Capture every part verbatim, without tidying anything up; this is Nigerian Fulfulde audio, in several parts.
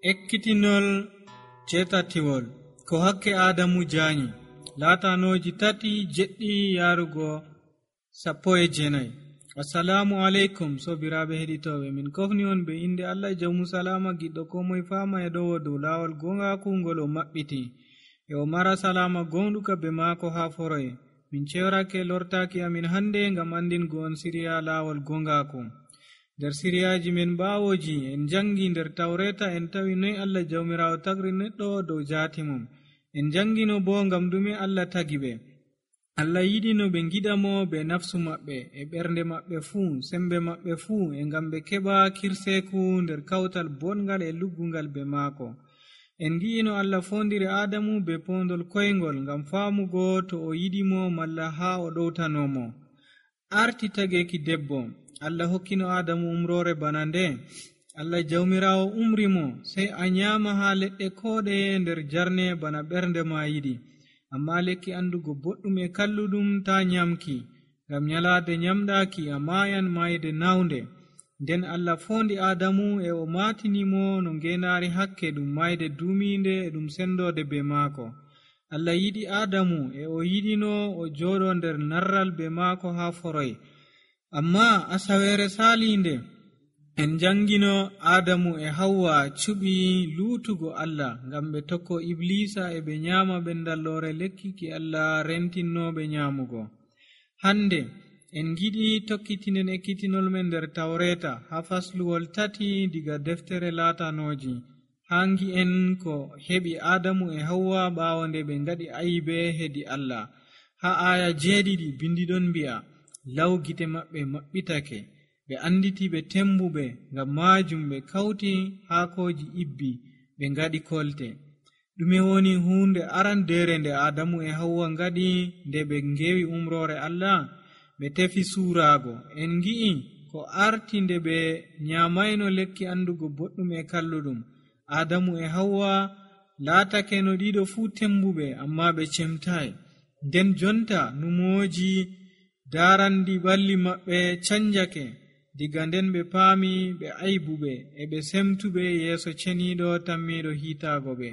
Ekkitinol jetatiwol ko hakke Adamu jaanyi laatanoji tati jeɗɗi yarugo sappo e jenayi. Assalamu alaikum sobiraɓe heɗitoɓe, min kofni on be inde Allah jawmu salama giɗɗo ko moye fama e ɗowo dow lawol gongaku ngol o maɓɓiti e o mara salama gonɗuka be maako ha foroye. Min cewrake lortaki amin hande ngam andingo on siriya lawol gongaku. nder siriyaji men bawoji en jangi nder tawreta en tawi noy Allah jawmirawo tagri neɗɗo dow jati mum. En jangino bo ngam dume Allah tagi ɓe. Allah yiɗi no ɓe giɗamo be nafsu maɓɓe e ɓernde maɓɓe fuu, sembe maɓɓe fuu, e ngam ɓe keɓa kirseku nder kawtal bongal e luggungal be maako. En gi'ino Allah fondiri Adamu be pondol koyngol ngam faamugo to o yiɗimo malla ha o ɗowtanomo. Arti tageki debbo, Allah hokkino Adamu umrore bana nde. Allah jawmirawo umrimo sey a nyama ha leɗɗe koɗeye nder jarne bana ɓernde ma yiɗi, amma lekki andugo boɗɗum e kalluɗum ta nyamki, ngam nyalade nyamɗaki a mayan mayde nawnde. Nden Allah fondi Adamu e o matinimo no ngenari hakke ɗum mayde duminde e ɗum sendode be maako. Allah yiɗi Adamu e o yiɗino o joɗo nder narral be maako ha foroy. Amma asawere salinde en jangino Adamu e Hawwa cuɓi lutugo Allah ngam ɓe tokko Iblisa e ɓe nyama ɓendallore lekki ki Allah rentinnoɓe nyamugo. Hande en giɗi tokkitinen ekkitinol men nder tawreta ha fasluwol tati diga deftere latanoji. Hangi en ko heɓi Adamu e Hawwa ɓawo nde ɓe ngaɗi ayibe hedi Allah. Ha aya jeeɗiɗi bindiɗon mbi'a, law gite maɓɓe maɓɓitake, ɓe anditi ɓe tembuɓe, ngam majum ɓe kawti haakoji ibbi ɓe ngaɗi kolte. ɗume woni hunde arandere nde Adamu e Hawwa ngaɗi nde ɓe ngewi umrore Allah? Ɓe tefi surago. En gi'i ko arti nde ɓe nyamayno lekki andugo boɗɗum e kalluɗum. Adamu e Hawwa laatake no ɗiɗo fuu tembuɓe, amma ɓe cemtai. Nden jonta numoji darandi balli maɓɓe canjake. Diga nden ɓe paami ɓe aibuɓe e ɓe semtuɓe yeeso ceniɗo tammiɗo hiitago ɓe.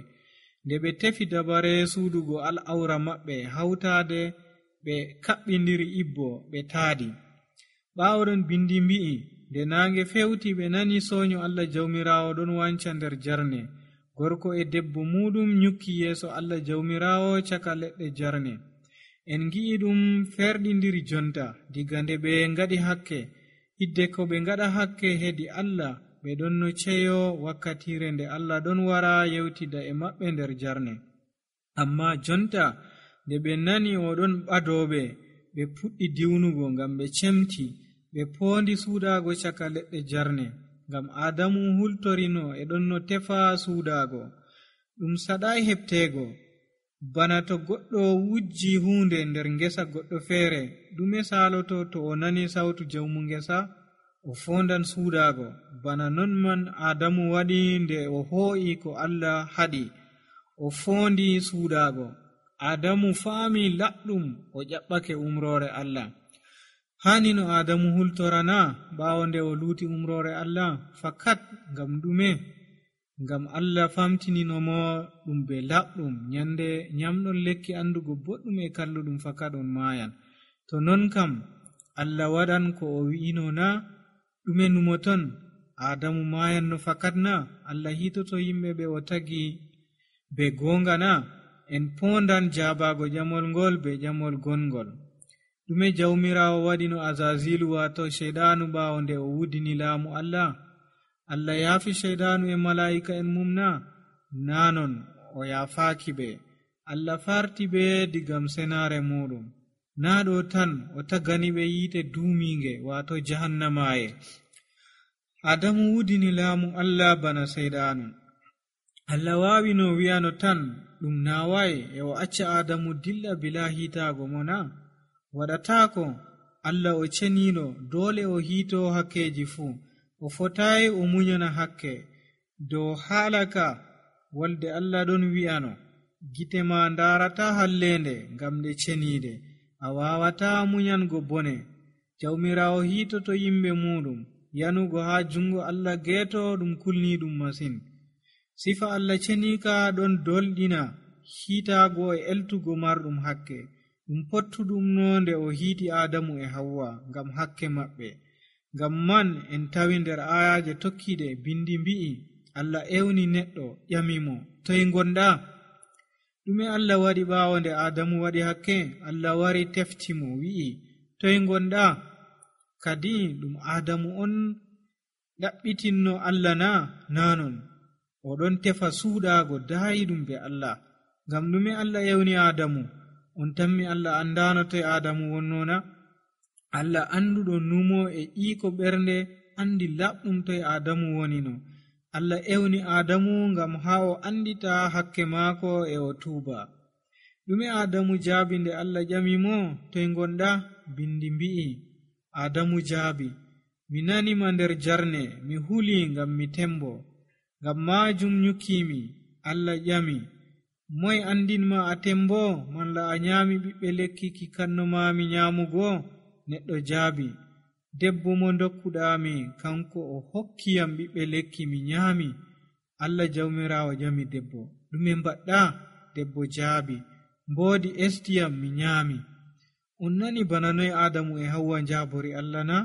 Nde ɓe tefi dabare suudugo al'aura maɓɓe hawtade, ɓe kaɓɓindiri ibbo ɓe taadi. ɓawoɗon bindi mbi'i, nde naange fewti ɓe nani soño Allah jawmirawo ɗon wanca nder jarne. Gorko e debbo muɗum nyukki yeeso Allah jawmirawo caka leɗɗe jarne. En gi'i ɗum ferɗindiri jonta diga nde ɓe ngaɗi hakke. Hidde ko ɓe ngaɗa hakke hedi Allah, ɓe ɗon no ceyo wakkatire nde Allah ɗon wara yewtida e maɓɓe nder jarne. Amma jonta nde ɓe nani o ɗon ɓadoɓe, ɓe puɗɗi diwnugo ngam ɓe cemti, ɓe poondi suudago caka leɗɗe jarne, ngam Adamu hultorino e ɗon no tefa suudago. Ɗum saɗai heɓtego, bana to goɗɗo wujji hunde nder ngesa goɗɗo feere, ɗume saloto to o nani sautu jawmu ngesa? O fondan suudago. Bana non man Adamu waɗi nde o hoo'i ko Allah haɗi, o fondi suudago. Adamu faami laɗɗum, o ƴaɓɓake umrore Allah. Hani no Adamu hultorana ɓawo nde o luti umrore Allah? Fakat ngam ɗume? Ngam Allah famtininomo ɗum be laɓɗum. Nyande nyamɗon lekki andugo boɗɗum e kalluɗum fakat on mayan. To non kam Allah waɗan ko o wi'ino na? ɗume numoton? Adamu mayan no fakat na? Allah hitoto yimɓe ɓe o tagi be gonga na? En pondan jabago jamol ngol be jamol gongol. ɗume jawmirawo waɗino Azazilu wato shaiɗanu ɓawo nde o wudini laamu Allah? Allah yaafi shaiɗanu e mala'ika en mum na? Nanon o yaafaki ɓe. Allah farti ɓe digam senare muɗum. Na ɗo tan o tagani ɓe yiite duuminge wato jahannamaye. Adamu wudini laamu Allah bana shaiɗanu. Allah wawi no wi'ano tan ɗum nawai e o acca Adamu dilla bila hiitago mo na? Waɗatako. Allah o ceniɗo, dole o hiito hakkeji fuu. O fotai o munyana hakke. Dow halaka walde Allah ɗon wi'ano, gite ma ndarata hallende ngam nde ceniɗe, a wawata munyango bone. Jawmirawo hiitoto yimɓe muɗum, yanugo ha jungo Allah geeto ɗum kulni ɗum masin. sifa Allah cenika ɗon dolɗina hiitaago e eltugo marɗum hakke, ɗum pottuɗum no nde o hiiti Adamu e Hawwa ngam hakke maɓɓe. Ngam man en tawi nder ayaje tokkiɗe bindi mbi'i Allah ewni neɗɗo ƴamimo, toye gonɗa? ɗume Allah waɗi ɓaawo nde Adamu waɗi hakke? Allah wari teftimo wi'i, toye gonɗa? Kadi ɗum Adamu on ɗaɓɓitinno Allah na? Nanon oɗon tefa suuɗaago daayiɗum be Allah. Ngam ɗume Allah ewni Adamu? On tammi Allah andano toye Adamu wonnona? Allah anduɗo numo e iko ɓernde andi laɓɗum toye Adamu wonino. Allah ewni Adamu ngam ha o andita hakke maako e o tuuba. ɗume Adamu jaabi nde Allah ƴamimo, toye gonɗa? Bindi mbi'i Adamu jaabi, mi nanima nder jarne, mi huli ngam mi tembo, ngam majum nyukkimi. Allah ƴami, moye andinma a tembo? Malla a nyami ɓiɓɓe lekki ki kannomami nyamugo? Neɗɗo jaabi, debbo mo dokkuɗami kanko o hokkiyam ɓiɓɓe lekki mi nyami. Allah jawmirawo ƴami debbo, ɗume mbaɗɗa? Debbo jaabi, mboodi estiyam mi nyami. On nani bana noye Adamu e Hawwa njabori Allah na?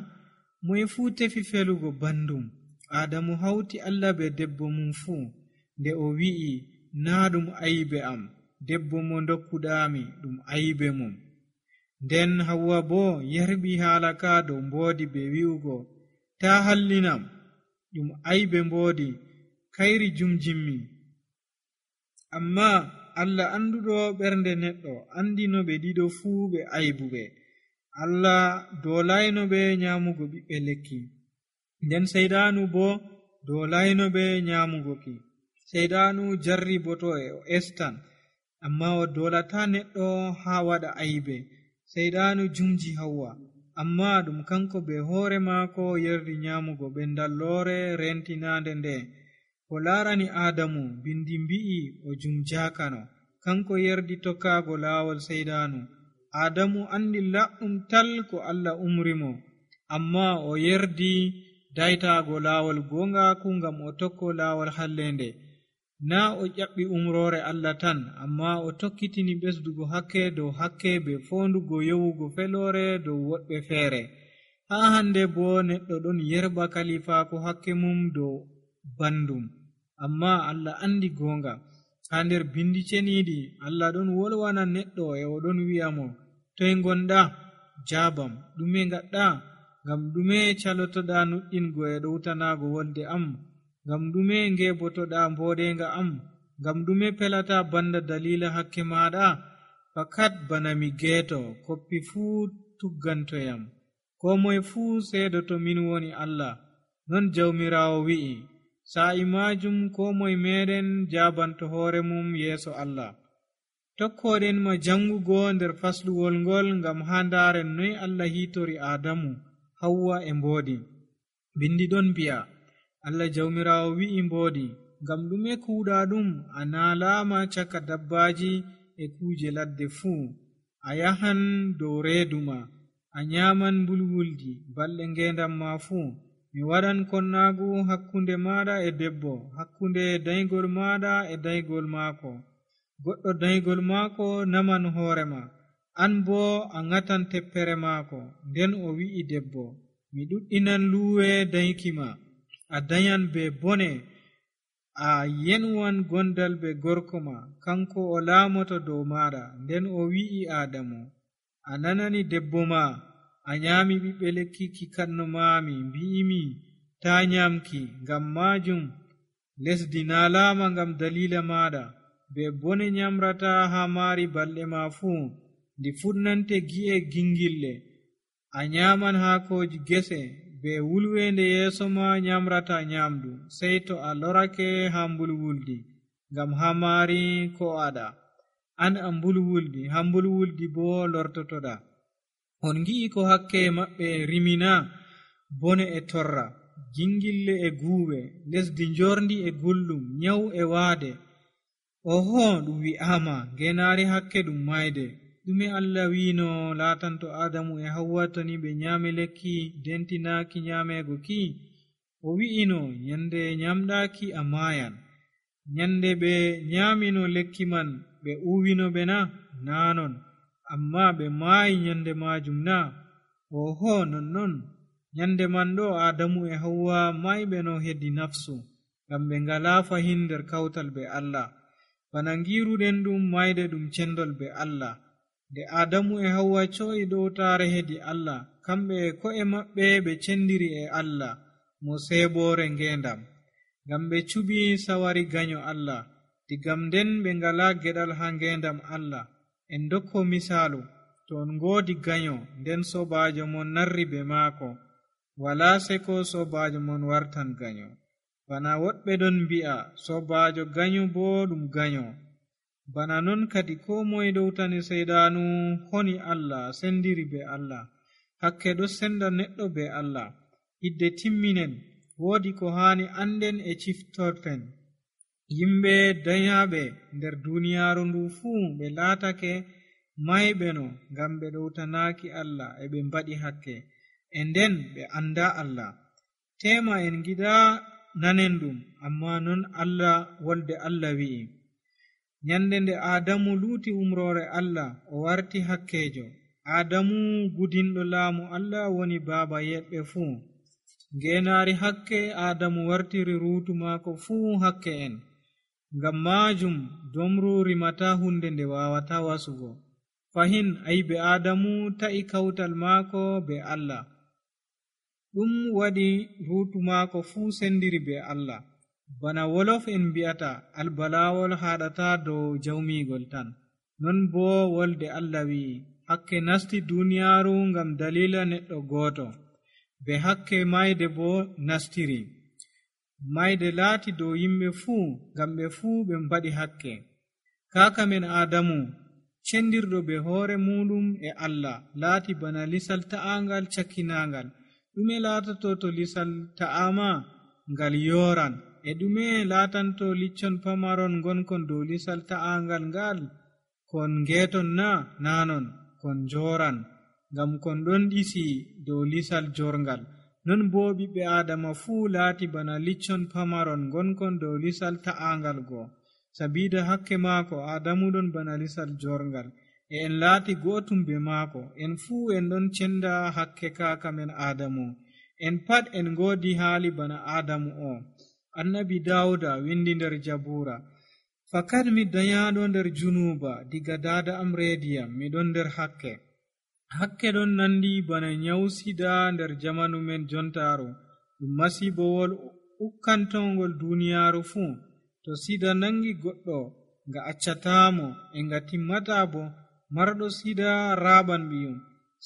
Moye fuu tefi felugo bandum. Adamu hawti Allah be debbo mum fuu, nde o wi'i naa ɗum ayibe am, debbo mo dokkuɗami ɗum ayibe mum. Nden Hawwa bo yarbi haala ka dow mboodi be wi'ugo, ta hallinam, ɗum ayibe mboodi, kayri jumjimmi. Amma Allah anduɗo ɓernde neɗɗo andino ɓe ɗiɗo fuu ɓe aybuɓe. Allah dolayno ɓe nyamugo ɓiɓɓe lekki, nden seydanu bo dolayno ɓe nyamugo ki. Seydanu jarri boto e o estan, amma o dolata neɗɗo ha waɗa aybe. Seydanu jumji Hawwa, amma ɗum kanko be hoore maako yerdi nyamugo ɓendallore rentinande nde. Ko laarani Adamu, bindi mbi'i o jumjakano, kanko yerdi tokkaago laawol seydanu. Adamu andi laɓɗum tal ko Allah umrimo, amma o yerdi daytaago laawol gongaku ngam o tokko laawol hallende. Na o ƴaɓɓi umrore Allah tan, amma o tokkitini ɓesdugo hakke dow hakke be fondugo yowugo felore dow woɗɓe feere. Ha hande bo neɗɗo ɗon yerba kalifaako hakke mum dow bandum, amma Allah andi gonga. Ha nder bindi ceniɗi Allah ɗon wolwana neɗɗo e o ɗon wi'amo, toye gonɗa? Jabam, ɗume ngaɗɗa? Ngam ɗume calotoɗa nuɗɗingo e ɗowtanago wolde am? Ngam ɗume ngebotoɗa mboɗenga am? Ngam ɗume pelata banda dalila hakke maɗa? Fakat bana mi geeto, koppi fuu tuggantoyam, ko moye fuu seedoto min woni Allah. Non jawmirawo wi'i, sa'i majum ko moye meɗen jabanto hoore mum yeeso Allah. Tokkoɗen ma jangugo nder fasluwol ngol ngam ha ndaren noy Allah hitori Adamu, Hawwa e mboodi. Bindi ɗon mbi'a, Allah jawmirawo wi'i mboodi, ngam ɗume kuuɗa ɗum? A naalama caka dabbaji e kuje ladde fuu. A yahan dow reeduma, a nyaman mbulwuldi balɗe ngendam ma fuu. Mi waɗan konnaagu hakkunde maɗa e debbo, hakkunde daygol maɗa e daygol maako. Goɗɗo daygol maako naman hoorema, an bo a ŋatan teppere maako. Nden o wi'i debbo, mi ɗuɗɗinan luwe dayki ma, a dayan be bone, a yenwan gondal be gorko ma, kanko o laamoto dow maɗa. Nden o wi'i Adamu, a nanani debbo ma, a nyami ɓiɓɓe lekki ki kannomami, mbi'imi ta nyamki. Ngam majum lesdi naalama ngam dalila maɗa, be bone nyamrata ha maari balɗe ma fuu. Ndi fuɗnante gi'e gingille, a nyaman haakoji gese, be wulwende yeeso ma nyamrata nyamdu, sey to a lorake ha mbulwuldi, ngam ha maari ko aɗa. An a mbulwuldi, ha mbulwuldi bo lortotoɗa. On gi'i ko hakke maɓɓe rimina, bone e torra, gingille e guuɓe, lesdi njorndi e gulɗum, nyawu e waade. Oho, ɗum wi'ama ngenaari hakke ɗum mayde. ɗume Allah wino laatanto Adamu e Hawwa to ni ɓe nyami lekki dentinaaki nyamego ki? O wi'ino, nyande nyamɗaki a mayan. nyande ɓe nyaamino lekki man ɓe uwino ɓe na naanon amma ɓe maayi nyande maajum na oho nonnon nyande man ɗo Adamu e Hawwa mayɓe no hedi nafsu ngam ɓe ngalaa fahin nder kawtal be Allah bana ngiruɗen ɗum mayde ɗum cendol be Allah nde Adamu e Hawwa co'i ɗowtaare hedi Allah kamɓe e ko'e maɓɓe ɓe cendiri e Allah mo seeɓoore ngeendam ngam ɓe cuɓi sawari ganyo Allah digam nden ɓe ngalaa geɗal haa ngeendam Allah en dokko misaalu to on ngoodi ganyo nden sobaajo mon narri be maako walaa seko sobaajo mon wartan ganyo bana woɗɓe ɗon mbi'a sobaajo ganyo boo ɗum ganyo bana non kadi koo moye dowtani seyɗaanu honi Allah sendiri be Allah hakke ɗo senda neɗɗo be Allah hidde timminen woodi ko haani anden e ciftorten yimɓe dayaaɓe nder duuniyaaru ndu fuu ɓe laatake mayɓe no ngam ɓe ɗowtanaaki Allah e ɓe mbaɗi hakke e nden ɓe annda Allah tema en giɗaa nanen ɗum amma non Allah wolde Allah wi'i nyande nde Adamu luuti umroore Allah o warti hakkeejo Adamu gudinɗo laamu Allah woni baaba yeɓɓe fuu ngeenaari hakke Adamu wartiri ruutu maako fuu hakke en ngam maajum domru rimata hunde nde waawata wasugo fahin ayibe Adamu ta'i kawtal maako be Allah ɗum waɗi ruutu maako fuu sendiri be Allah bana wolof en mbi'ata albalaawol haɗata dow jawmiigol tan non boo wolde Allah wi'i hakke nasti duuniyaaru ngam dalila neɗɗo gooto be hakke mayde boo nastiri mayde laati dow yimɓe fuu ngam ɓe fuu ɓe mbaɗi hakke kaaka men Adamu cendirɗo be hoore muɗum e Allah laati bana lisal ta'aangal cakkinaangal ɗume laatato to lisal ta'aama ngal yooran e ɗume laatanto liccon pamaron ngonkon dow lisal ta'aangal ngal kon ngeeton na naanon kon njooran ngam kon ɗon ɗisi dow lisal jorngal non boo ɓiɓɓe Aadama fuu laati bana liccon pamaron ngonkon dow lisal ta'aangal goo sabiida hakke maako Adamu ɗon bana lisal jorngal e en laati gootum be maako en fuu en ɗon cenda hakke kaaka men Adamu en pat en ngoodi haali bana Adamu o annabi Dawuda windi nder Jabuura fakat mi dayaaɗo nder junuuba diga daada am reediyam miɗon nder hakke hakke ɗon nandi bana nyawsida nder jamanu men jontaaru ɗum masiibowol ukkantongol duuniyaaru fuu to sida nangi goɗɗo nga accataamo e nga timmata bo marɗo sida raaɓan ɓiyum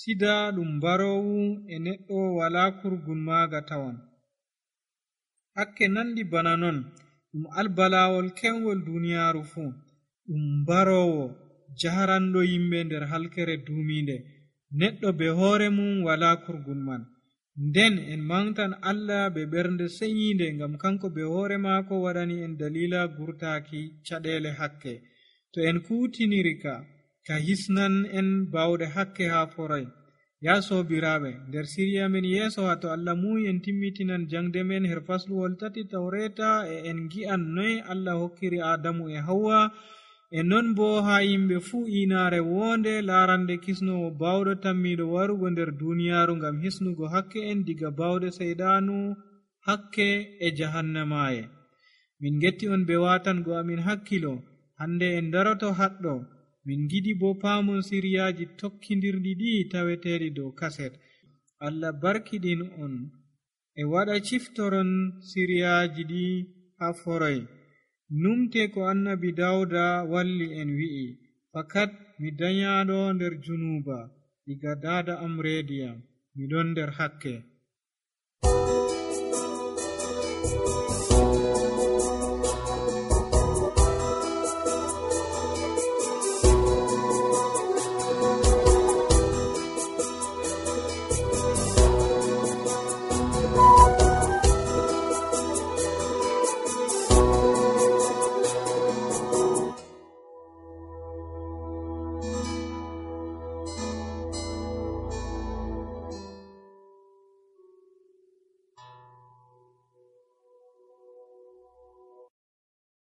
sida ɗum mbaroowu e neɗɗo walaa kurgun maaga tawan hakke nandi bana non ɗum albalaawol kewngol duuniyaaru fuu ɗum mbaroowo jaharanɗo yimɓe nder halkere duumiinde neɗɗo be hoore mum walaa kurgun man nden en mangtan Allah be ɓernde seyiinde ngam kanko be hoore maako waɗani en dalila gurtaaki caɗeele hakke to en kuutiniri ka ka hisnan en bawɗe hakke haa foray ya soobiraaɓe nder siriya men yeeso haa to Allah muuyi en timmitinan jangde men her fasluwol tati tawreta e en gi'an noy Allah hokkiri Adamu e Hawwa e non boo haa yimɓe fuu inaare woonde laarande kisnowo bawɗo tammiiɗo warugo nder duuniyaaru ngam hisnugo hakke en diga bawɗe seyɗaanu hakke e jahannamaaye min getti on be waatango amin hakkilo hande en daroto haɗɗo min giɗi bo paamon siriyaaji tokkindirɗi ɗi taweteeɗi dow kaset Allah barkiɗin on e waɗa ciftoron siriyaaji ɗi haa foroy numte ko annabi Dawda walli en wi'i fakat mi danyaaɗo nder junuuba diga daada am reediyam miɗon nder hakke